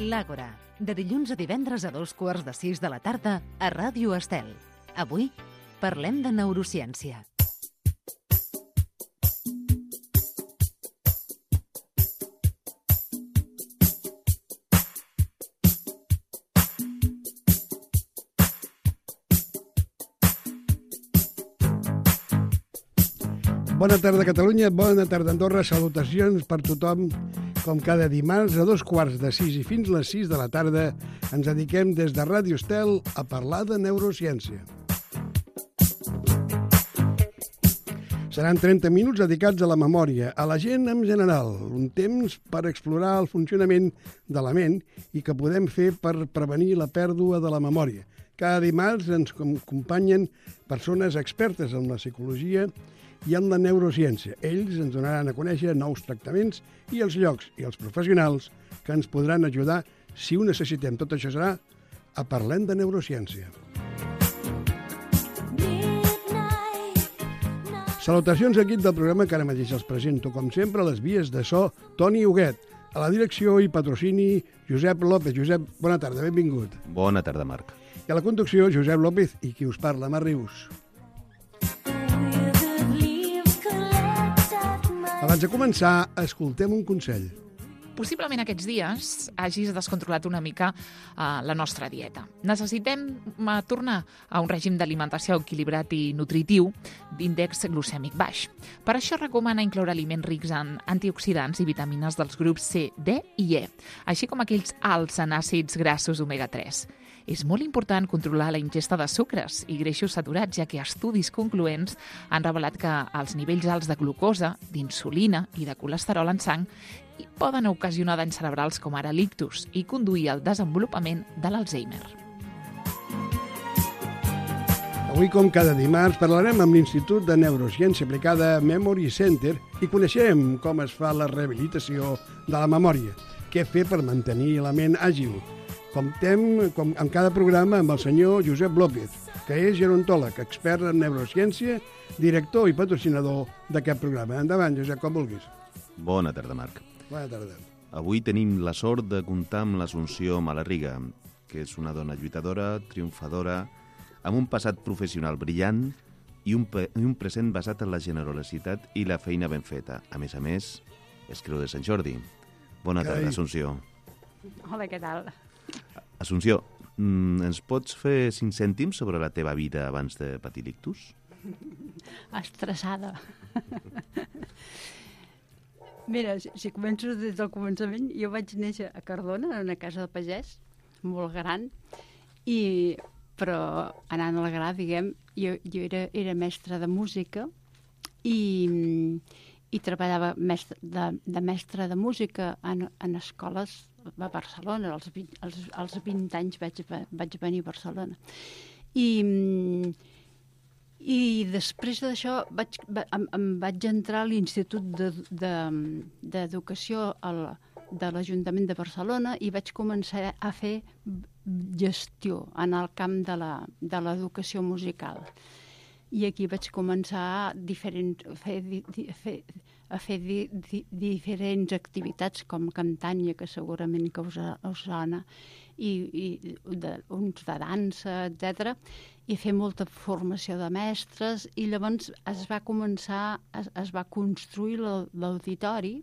L'Àgora, de dilluns a divendres a 5:15 de la tarda a Ràdio Estel. Avui parlem de neurociència. Bona tarda, Catalunya. Bona tarda, Andorra. Salutacions per tothom. Com cada dimarts, a 5:15 i fins les 6 de la tarda, ens dediquem des de Ràdio Estel a parlar de neurociència. Seran 30 minuts dedicats a la memòria, a la gent en general, un temps per explorar el funcionament de la ment i que podem fer per prevenir la pèrdua de la memòria. Cada dimarts ens acompanyen persones expertes en la psicologia i en la neurociència. Ells ens donaran a conèixer nous tractaments i els llocs i els professionals que ens podran ajudar si ho necessitem. Tot això serà a Parlem de Neurociència. Salutacions a l'equip del programa que ara mateix els presento, com sempre, a les vies de so, Toni Huguet. A la direcció i patrocini, Josep López. Josep, bona tarda, benvingut. Bona tarda, Marc. I a la conducció, Josep López i qui us parla, Mar Rius. Abans de començar, escoltem un consell. Possiblement aquests dies hagis descontrolat una mica la nostra dieta. Necessitem tornar a un règim d'alimentació equilibrat i nutritiu d'índex glucèmic baix. Per això recomana incloure aliments rics en antioxidants i vitamines dels grups C, D i E, així com aquells alts en àcids grassos omega-3. És molt important controlar la ingesta de sucres i greixos saturats, ja que estudis concloents han revelat que els nivells alts de glucosa, d'insulina i de colesterol en sang poden ocasionar danys cerebrals com ara l'ictus i conduir al desenvolupament de l'Alzheimer. Avui, com cada dimarts, parlarem amb l'Institut de Neurociència Aplicada Memory Center i coneixem com es fa la rehabilitació de la memòria, què fer per mantenir la ment àgil. Comptem, com en cada programa, amb el senyor Josep López, que és gerontòleg, expert en neurociència, director i patrocinador d'aquest programa. Endavant, Josep, com vulguis. Bona tarda, Marc. Bona tarda. Avui tenim la sort de comptar amb l'Assumpció Malarriga, que és una dona lluitadora, triomfadora, amb un passat professional brillant i un present basat en la generositat i la feina ben feta. A més, és Creu de Sant Jordi. Bona tarda, Assumpció. Hola, què tal? Assumpció, ens pots fer 5 cèntims sobre la teva vida abans de patir l'ictus? Estressada. Mira, si començo des del començament, jo vaig néixer a Cardona, en una casa de pagès, molt gran, però anant al gra, diguem, jo era mestra de música i treballava de mestra de música en escoles a Barcelona. Als 20 anys vaig venir a Barcelona. I després d'això em vaig entrar a l'Institut d'Educació de l'Ajuntament de Barcelona i vaig començar a fer gestió en el camp de l'educació musical. I aquí vaig començar a fer diferents activitats com Cantània, que segurament que us sona, i uns de dansa, etc. I fer molta formació de mestres, i llavors es va construir l'auditori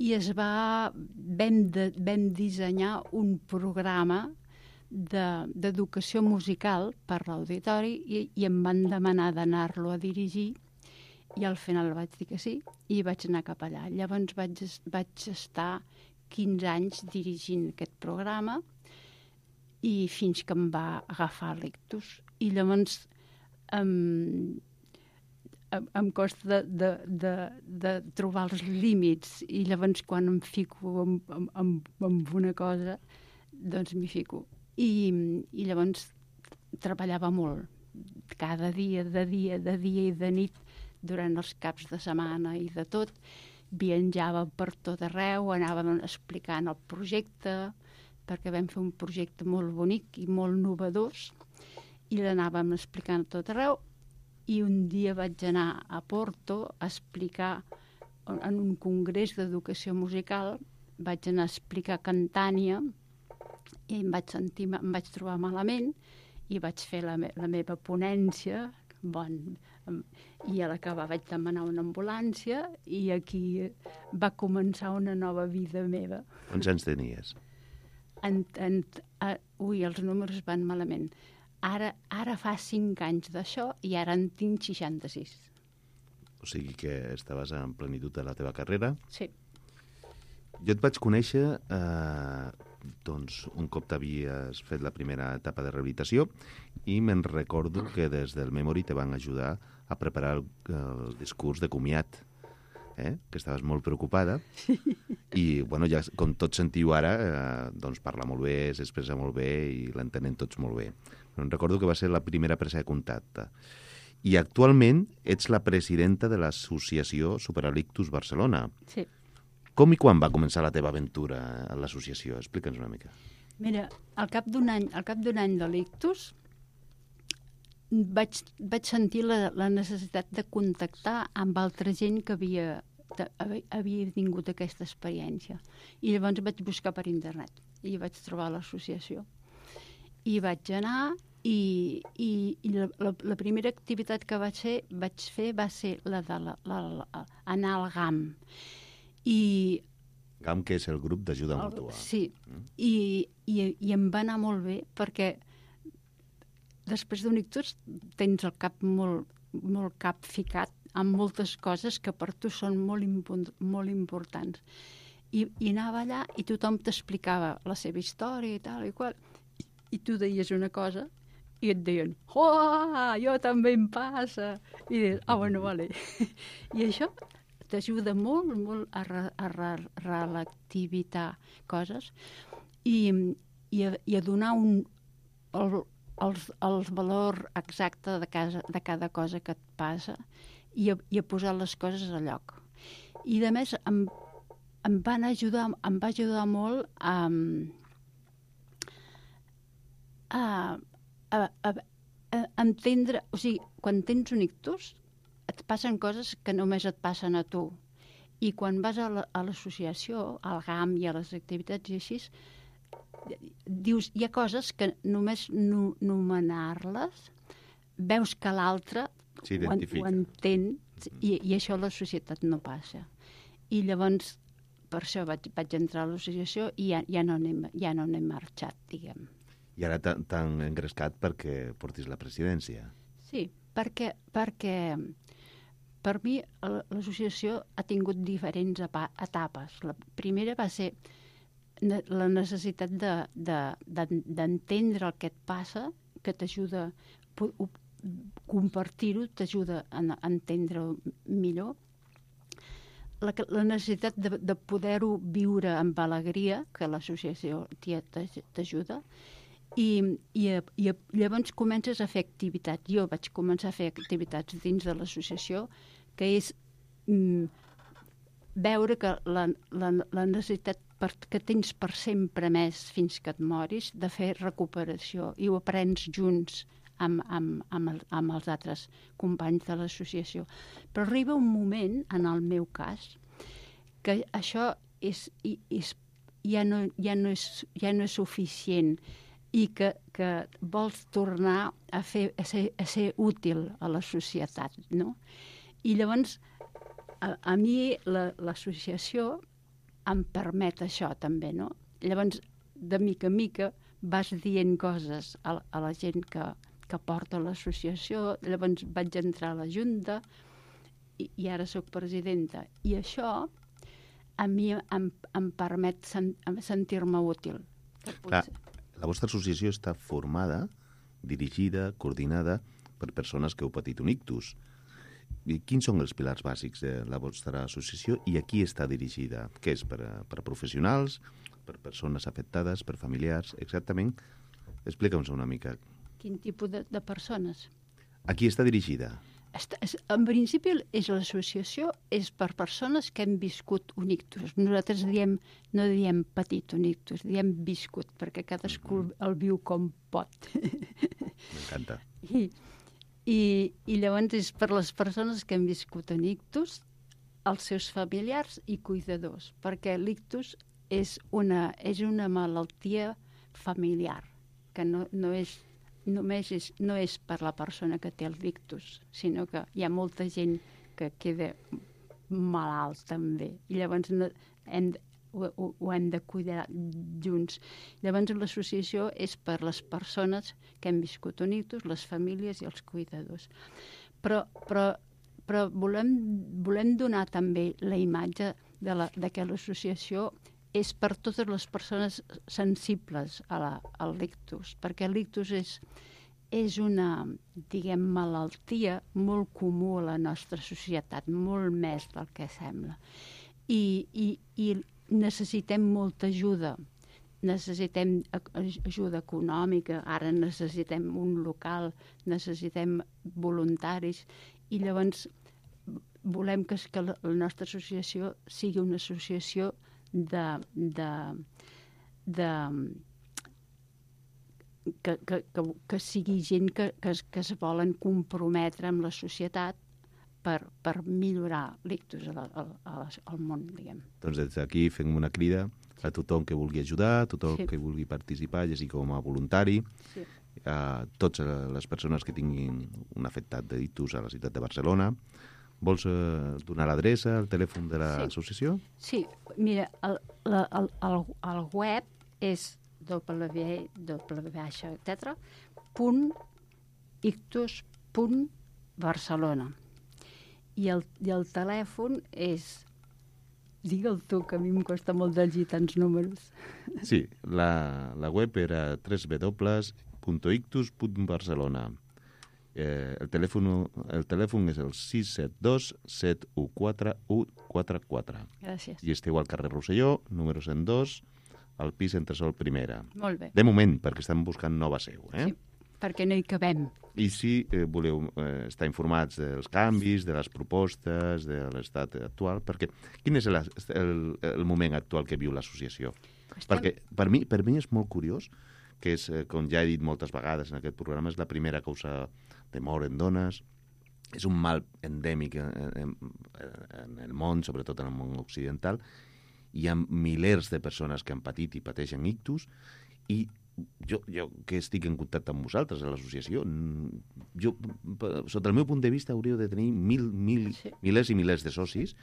i vam dissenyar un programa d'educació musical per l'auditori i em van demanar d'anar-lo a dirigir i al final vaig dir que sí i vaig anar cap allà. Llavors vaig estar 15 anys dirigint aquest programa i fins que em va agafar l'ictus. I llavors em costa de trobar els límits i llavors quan em fico amb una cosa doncs m'hi fico. I llavors treballava molt, cada dia, de dia i de nit, durant els caps de setmana i de tot. Viatjava per tot arreu, anàvem explicant el projecte, perquè vam fer un projecte molt bonic i molt novedós, i l'anàvem explicant a tot arreu, i un dia vaig anar a Porto a explicar en un congrés d'educació musical, vaig anar a explicar Cantània, i em vaig trobar malament i vaig fer la meva ponència, i a l'acabar vaig demanar una ambulància i aquí va començar una nova vida meva. Quants anys tenies? Ui, els números van malament. Ara fa 5 anys d'això i ara en tinc 66. O sigui que estaves en plenitud de la teva carrera. Sí. Jo et vaig conèixer doncs, un cop t'havies fet la primera etapa de rehabilitació i me'n recordo que des del Memory te van ajudar a preparar el discurs de comiat, que estaves molt preocupada. I, bueno, ja, com tots sentiu ara, doncs parla molt bé, s'expressa molt bé i l'entenen tots molt bé. Però em recordo que va ser la primera presa de contacte. I actualment ets la presidenta de l'associació Superalictus Barcelona. Sí. Com i quan va començar la teva aventura a l'associació? Explica'ns una mica. Mira, al cap d'un any de l'ictus vaig sentir la necessitat de contactar amb altra gent que havia tingut aquesta experiència. I llavors vaig buscar per internet i vaig trobar l'associació. I vaig anar i la primera activitat que vaig fer va ser la anar al GAM. GAM, que és el grup d'ajuda mútua. Sí, i em va anar molt bé perquè després d'un ictus tens el cap molt capficat amb moltes coses que per tu són molt importants. I anava allà i tothom t'explicava la seva història i tal i qual, i tu deies una cosa i et deien, jo també em passa. I dius, bueno, vale. I això t'ajuda molt a relativitar coses i a donar el valor exacte de cada cosa que et passa i a posar les coses a lloc. I a més em va ajudar molt a entendre, o sigui, quan tens un ictus et passen coses que només et passen a tu. I quan vas a l'associació, al GAM i a les activitats i així, dius, hi ha coses que només nomenar-les, veus que l'altre ho entén i això a la societat no passa. I llavors, per això vaig entrar a l'associació i ja no n'he marxat, diguem. I ara t'han engrescat perquè portis la presidència. Sí, perquè per mi l'associació ha tingut diferents etapes. La primera va ser la necessitat d'entendre el que et passa, que t'ajuda, compartir-ho t'ajuda a entendre-ho millor. La necessitat de poder-ho viure amb alegria, que l'associació t'ajuda, i llavors comences a fer activitats. Jo vaig començar a fer activitats dins de l'associació, que és veure que la necessitat que tens per sempre més fins que et moris de fer recuperació i ho aprens junts amb els altres companys de l'associació. Però arriba un moment, en el meu cas, que això ja no és suficient i que vols tornar a ser útil a la societat, no? I llavors, a mi l'associació em permet això també, no? Llavors, de mica en mica, vas dient coses a la gent que porta l'associació, llavors vaig entrar a la Junta i ara sóc presidenta. I això a mi em permet sentir-me útil. Clar, la vostra associació està formada, dirigida, coordinada per persones que heu patit un ictus. I quins són els pilars bàsics de la vostra associació i a qui està dirigida? Què és? Per a professionals, per persones afectades, per familiars, exactament? Explica'ns una mica. Quin tipus de persones? A qui està dirigida? En principi, l'associació és per persones que hem viscut un ictus. Nosaltres no diem patit un ictus, diem viscut, perquè cadascú el viu com pot. M'encanta. I llavors és per les persones que han viscut un ictus, els seus familiars i cuidadors, perquè l'ictus és una malaltia familiar, que no és per la persona que té el ictus, sinó que hi ha molta gent que queda malalt també, i llavors ho hem de cuidar junts. Llavors l'associació és per les persones que hem viscut un ictus, les famílies i els cuidadors. Però volem donar també la imatge de que l'associació és per totes les persones sensibles al ictus, perquè l'ictus és una, diguem, malaltia molt comú a la nostra societat, molt més del que sembla. I necessitem molta ajuda. Necessitem ajuda econòmica, ara necessitem un local, necessitem voluntaris, i llavors volem que la nostra associació sigui una associació que sigui gent que es volen comprometre amb la societat per millorar l'ictus al món, diguem. Doncs des d'aquí fem una crida a tothom que vulgui ajudar, a tothom que vulgui participar, ja sigui com a voluntari, a totes les persones que tinguin un afectat d'ictus a la ciutat de Barcelona. Vols donar l'adreça, el telèfon de l'associació? Sí, mira, el web és www.ictus.barcelona i el telèfon és... Digue'l tu, que a mi em costa molt de llegir tants números. Sí, la web era www.ictus.barcelona. El telèfon és el 672-714-144. Gràcies. I esteu al carrer Rosselló, número 102, al pis Entresol Primera. Molt bé. De moment, perquè estan buscant nova seu. Sí, perquè no hi cabem. I si voleu estar informats dels canvis, de les propostes, de l'estat actual, perquè quin és el moment actual que viu l'associació? Perquè per mi és molt curiós, que és, com ja he dit moltes vegades en aquest programa, és la primera causa de mort en dones, és un mal endèmic en el món, sobretot en el món occidental. Hi ha milers de persones que han patit i pateixen ictus, i jo que estic en contacte amb vosaltres a l'associació, sota el meu punt de vista hauríeu de tenir milers i milers de socis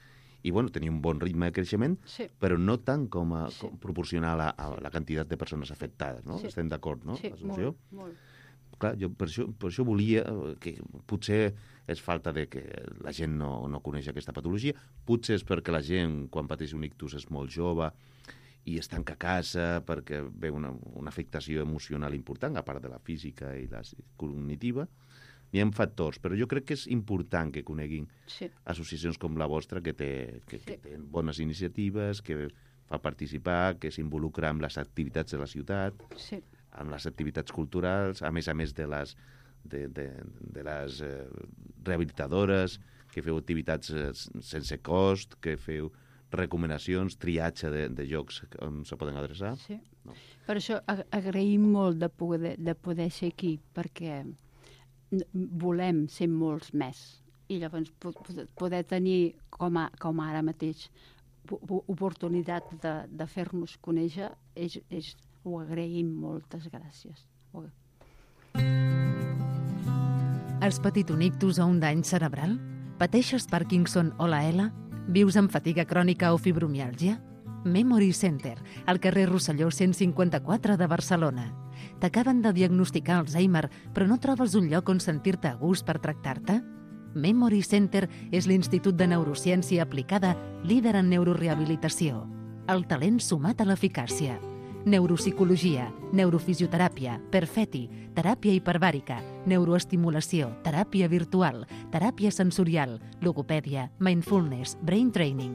i tenir un bon ritme de creixement, però no tant com proporcionar a la quantitat de persones afectades, no? Estem d'acord, no? Sí, molt. Clar, jo per això volia que potser és falta de que la gent no coneix aquesta patologia, potser és perquè la gent quan pateix un ictus és molt jove i es tanca a casa perquè ve una afectació emocional important, a part de la física i la cognitiva. Hi ha factors, però jo crec que és important que coneguin associacions com la vostra, que tenen bones iniciatives, que fa participar, que s'involucra amb les activitats de la ciutat, amb les activitats culturals, a més de les rehabilitadores, que feu activitats sense cost, que feu recomanacions, triatge de llocs on se poden adreçar. Sí. No. Per això agraïm molt de poder ser aquí, perquè volem ser molts més. I llavors poder tenir, com ara mateix, oportunitat de fer-nos conèixer, ho agraïm. Moltes gràcies. Has patit un ictus o un dany cerebral? Pateixes Parkinson o la ELA? Vius amb fatiga crònica o fibromiàlgia? Memory Center, al carrer Rosselló 154 de Barcelona. T'acaben de diagnosticar Alzheimer, però no trobes un lloc on sentir-te a gust per tractar-te? Memory Center és l'Institut de Neurociència Aplicada líder en neurorehabilitació. El talent sumat a l'eficàcia. Neuropsicologia, neurofisioteràpia, perfeti, teràpia hiperbàrica, neuroestimulació, teràpia virtual, teràpia sensorial, logopèdia, mindfulness, brain training.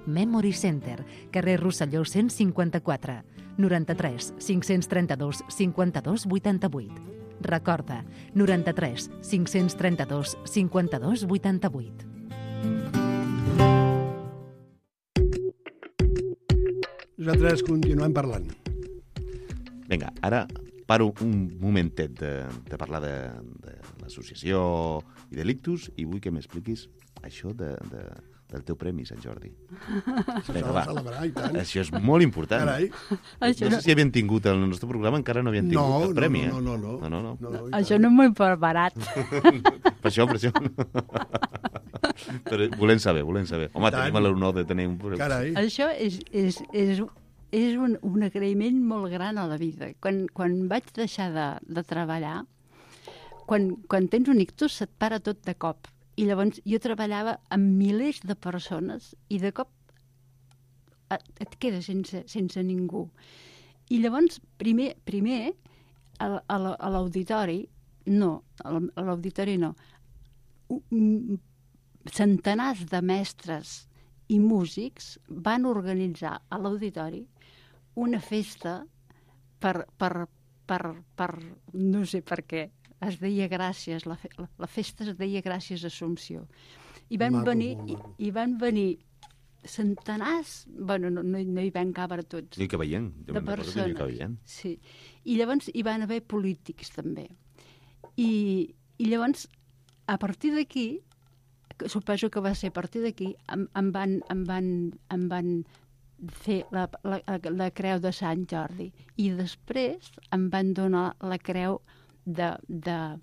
Memory Center, carrer Rosselló 154, 93 532 52 88. Recorda, 93 532 52 88. Nosaltres continuem parlant. Vinga, ara paro un momentet de parlar de l'associació i de l'ictus i vull que m'expliquis això de del teu premi, Sant Jordi. S'ha Vinga, de va. celebrar, i tant. Això és molt important. Carai. No sé si havien tingut el nostre programa, encara no havien tingut el premi. No. No. Això no m'ho he preparat. Per això. Però volem saber. Home, tenim l'honor de tenir un... Carai. Això és un agraïment molt gran a la vida. Quan vaig deixar de treballar, quan tens un ictus se't para tot de cop. I llavors jo treballava amb milers de persones i de cop et quedes sense ningú. I llavors, primer a l'auditori, centenars de mestres i músics van organitzar a l'auditori una festa per no sé per què, es deia Gràcies, la festa es deia Gràcies Assumpció. I van venir centenars, bueno, no hi van cabre tots, I que veient. de persones. Sí. I llavors hi van haver polítics també. I llavors, a partir d'aquí, suposo que va ser a partir d'aquí, em van fer la creu de Sant Jordi. I després em van donar la creu la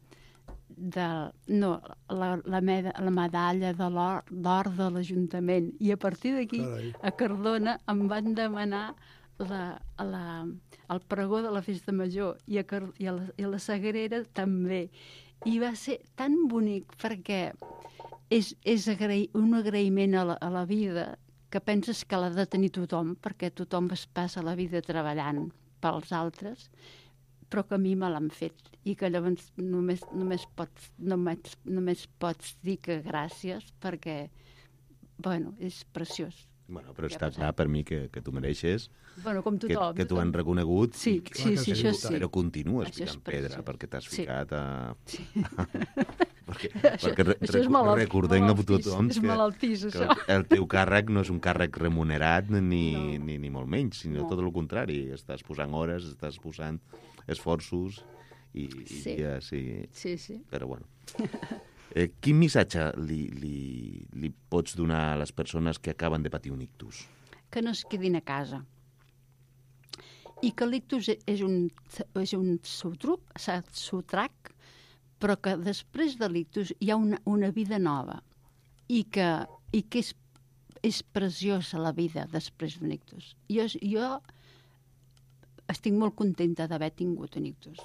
medalla d'or de l'Ajuntament. I a partir d'aquí, a Cardona, em van demanar el pregó de la Festa Major i a la Sagrera també. I va ser tan bonic perquè és un agraïment a la vida que penses que l'ha de tenir tothom, perquè tothom es passa la vida treballant pels altres, però que a mi me l'han fet i que llavors només pots dir que gràcies perquè, bueno, és preciós. Bueno, però està clar per mi que tu mereixes, bueno, com tothom, que t'ho han reconegut, sí, això sí. Però continues ficant pedra perquè t'has ficat a... perquè recordem a tothom que el teu càrrec no és un càrrec remunerat ni molt menys, sinó tot el contrari. Estàs posant hores, estàs posant esforços i sí. Però bueno. Quin missatge li pots donar a les persones que acaben de patir un ictus? Que no es quedin a casa. I que l'ictus és un sotrac, però que després de l'ictus hi ha una vida nova i que és preciosa la vida després d'un ictus. Jo estic molt contenta d'haver tingut un ictus.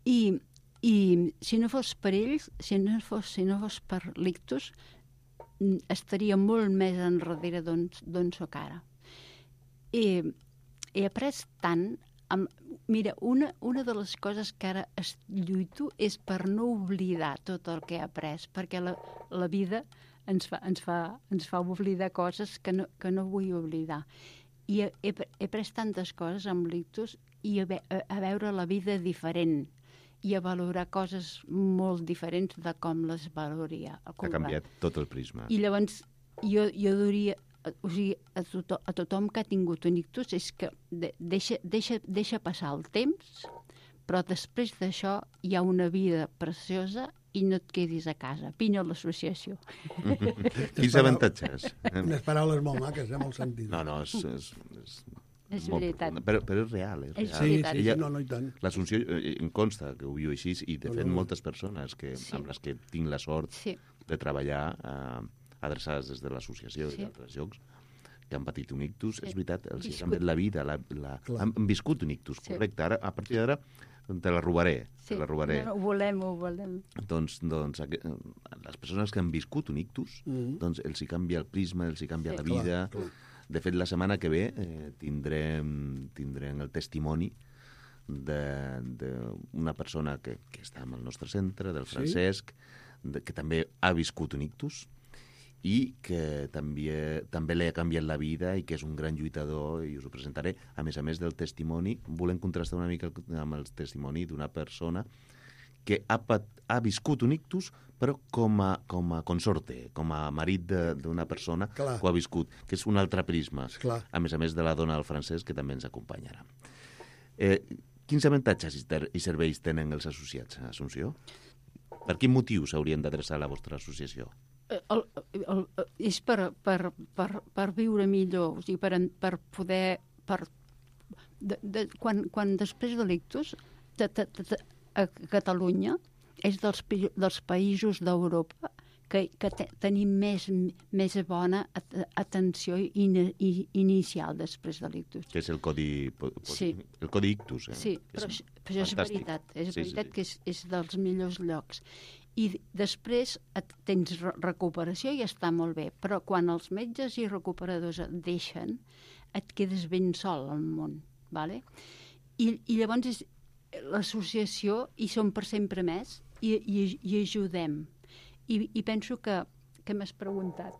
I si no fos per ells, si no fos per l'ictus, estaria molt més enrere d'on soc ara. He après tant. Mira, una de les coses que ara lluito és per no oblidar tot el que he après, perquè la vida ens fa oblidar coses que no vull oblidar. I he après tantes coses amb l'ictus i a veure la vida diferent i a valorar coses molt diferents de com les valoria. Ha canviat tot el prisma. I llavors jo diria, o sigui, a tothom que ha tingut un ictus és que deixa passar el temps, però després d'això hi ha una vida preciosa i no et quedis a casa. Vine a l'associació. Quins avantatges? Unes paraules molt maques, molt sentides. No, és veritat. Però és real, és real. Sí, i tant. L'Assumpció em consta que ho viu així i, de fet, moltes persones amb les que tinc la sort de treballar adreçades des de l'associació i d'altres llocs que han patit un ictus, és veritat, els ha canviat la vida, han viscut un ictus, correcte. Ara, a partir d'ara, te la robaré. No, ho volem. Doncs les persones que han viscut un ictus, doncs els hi canvia el prisma, els hi canvia la vida. De fet, la setmana que ve tindrem el testimoni d'una persona que està en el nostre centre, del Francesc, que també ha viscut un ictus i que també li ha canviat la vida i que és un gran lluitador, i us ho presentaré. A més del testimoni, volem contrastar una mica amb el testimoni d'una persona que ha viscut un ictus, però com a consorte, com a marit d'una persona que ho ha viscut, que és un altre prisma, a més de la dona del Francesc, que també ens acompanyarà. Quins avantatges i serveis tenen els associats a Assumpció? Per quin motiu s'haurien d'adreçar a la vostra associació? És per viure millor, o sigui, per poder... Quan després de l'ictus, a Catalunya és dels països d'Europa que tenim més bona atenció inicial després de l'ictus. Que és el codi ictus. Sí, però això és veritat. És veritat que és dels millors llocs. I després tens recuperació i està molt bé, però quan els metges i recuperadors et deixen, et quedes ben sol al món. Vale? I llavors és l'associació, i som per sempre més, i ajudem. I penso que m'has preguntat.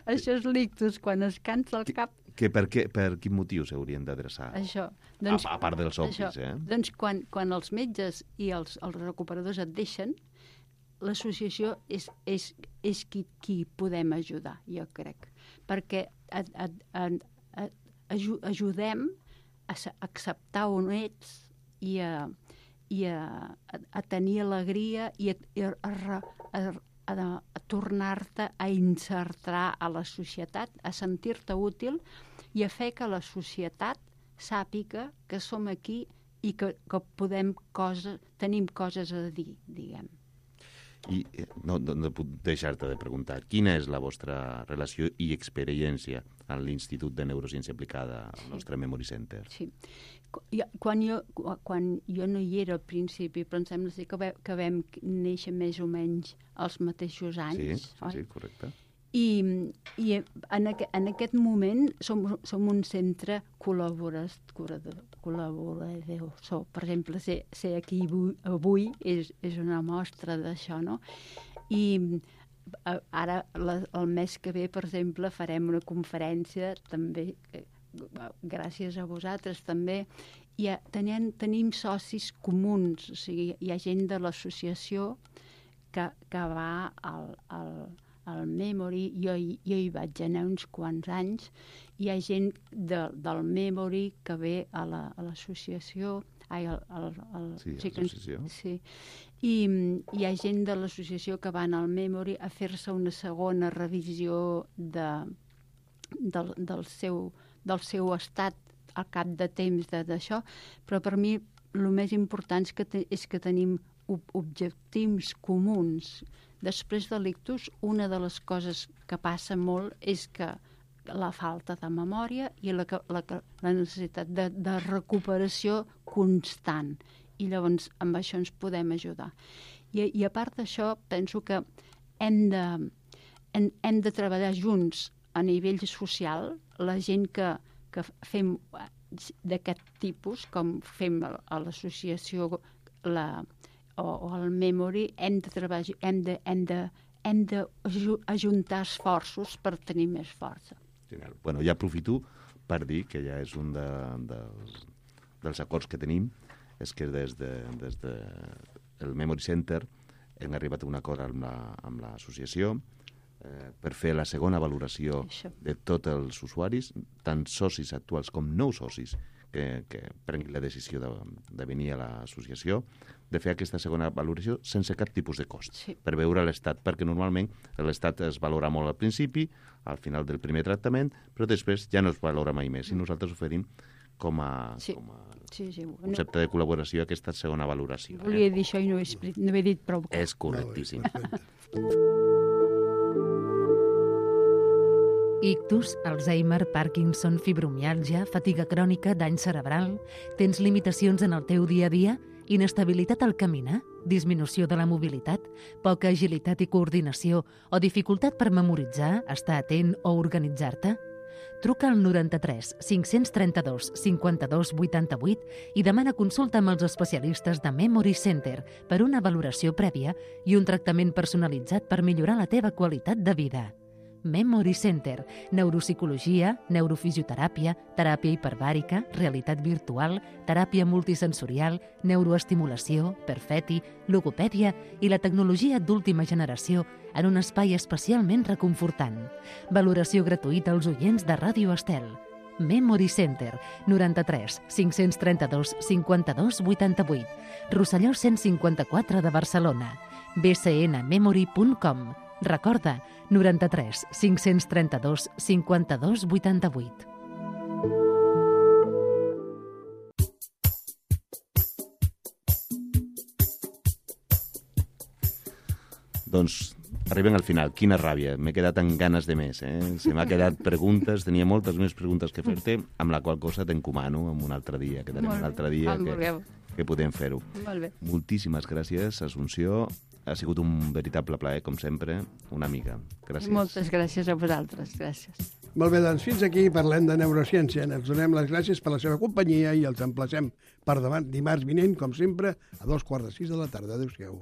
Això és l'ictus, quan es cansa el cap. Per quin motiu s'haurien d'adreçar? Això. A part dels obvis, Doncs quan els metges i els recuperadors et deixen, l'associació és qui podem ajudar, jo crec. Perquè ajudem a acceptar on ets i a tenir alegria i a tornar-te a insertar a la societat, a sentir-te útil i a fer que la societat sàpiga que som aquí i que tenim coses a dir, diguem. I no puc deixar-te de preguntar, quina és la vostra relació i experiència a l'Institut de Neurociència Aplicada, al nostre Memory Center? Sí. Quan jo no hi era al principi, però em sembla que vam néixer més o menys als mateixos anys. Sí, correcte. I en aquest moment som un centre col·laborador. Per exemple, ser aquí avui és una mostra d'això, no? I ara, el mes que ve, per exemple, farem una conferència, també, gràcies a vosaltres, també. Tenim socis comuns, o sigui, hi ha gent de l'associació que va al Memory, jo hi vaig anar uns quants anys, hi ha gent del Memory que ve a l'associació, l'associació. Sí. I hi ha gent de l'associació que van al Memory a fer-se una segona revisió del seu estat al cap de temps d'això, però per mi el més important és que tenim objectius comuns. Després de l'ictus, una de les coses que passa molt és que la falta de memòria i la necessitat de recuperació constant. I llavors amb això ens podem ajudar. I a part d'això, penso que hem de treballar junts a nivell social, la gent que fem d'aquest tipus, com fem a l'associació o al Memory, hem de treballar, hem d'ajuntar esforços per tenir més força. Bueno, ja aprofito per dir que ja és un dels acords que tenim, és que des del Memory Center hem arribat a un acord amb l'associació per fer la segona valoració de tots els usuaris, tant socis actuals com nous socis, que prenguin la decisió de venir a l'associació, de fer aquesta segona valoració sense cap tipus de cost, per veure l'estat, perquè normalment l'estat es valora molt al principi, al final del primer tractament, però després ja no es valora mai més, i nosaltres oferim com a concepte de col·laboració aquesta segona valoració. Volia dir això i no he dit prou. És correctíssim. Ictus, Alzheimer, Parkinson, fibromiàlgia, fatiga crònica, dany cerebral... Tens limitacions en el teu dia a dia? Inestabilitat al caminar? Disminució de la mobilitat? Poca agilitat i coordinació? O dificultat per memoritzar, estar atent o organitzar-te? Truca al 93 532 52 88 i demana consulta amb els especialistes de Memory Center per una valoració prèvia i un tractament personalitzat per millorar la teva qualitat de vida. Memory Center, neuropsicologia, neurofisioteràpia, teràpia hiperbàrica, realitat virtual, teràpia multisensorial, neuroestimulació, perfeti, logopèdia i la tecnologia d'última generació en un espai especialment reconfortant. Valoració gratuïta als oients de Ràdio Estel. Memory Center, 93 532 52 88, Rosselló 154 de Barcelona. bcnmemory.com. Recorda, 93 532 52 88. Doncs arribem al final. Quina ràbia. M'he quedat amb ganes de més. Se m'ha quedat preguntes, tenia moltes més preguntes que fer-te, amb la qual cosa t'encomano en un altre dia, que tenim un altre dia que podem fer-ho. Molt bé. Moltíssimes gràcies, Assumpció. Ha sigut un veritable plaer, com sempre, una amiga. Gràcies. Moltes gràcies a vosaltres. Gràcies. Molt bé, doncs fins aquí parlem de neurociència. Ens donem les gràcies per la seva companyia i els emplacem per demà, dimarts vinent, com sempre, a 5:15 de la tarda. Adéu-siau.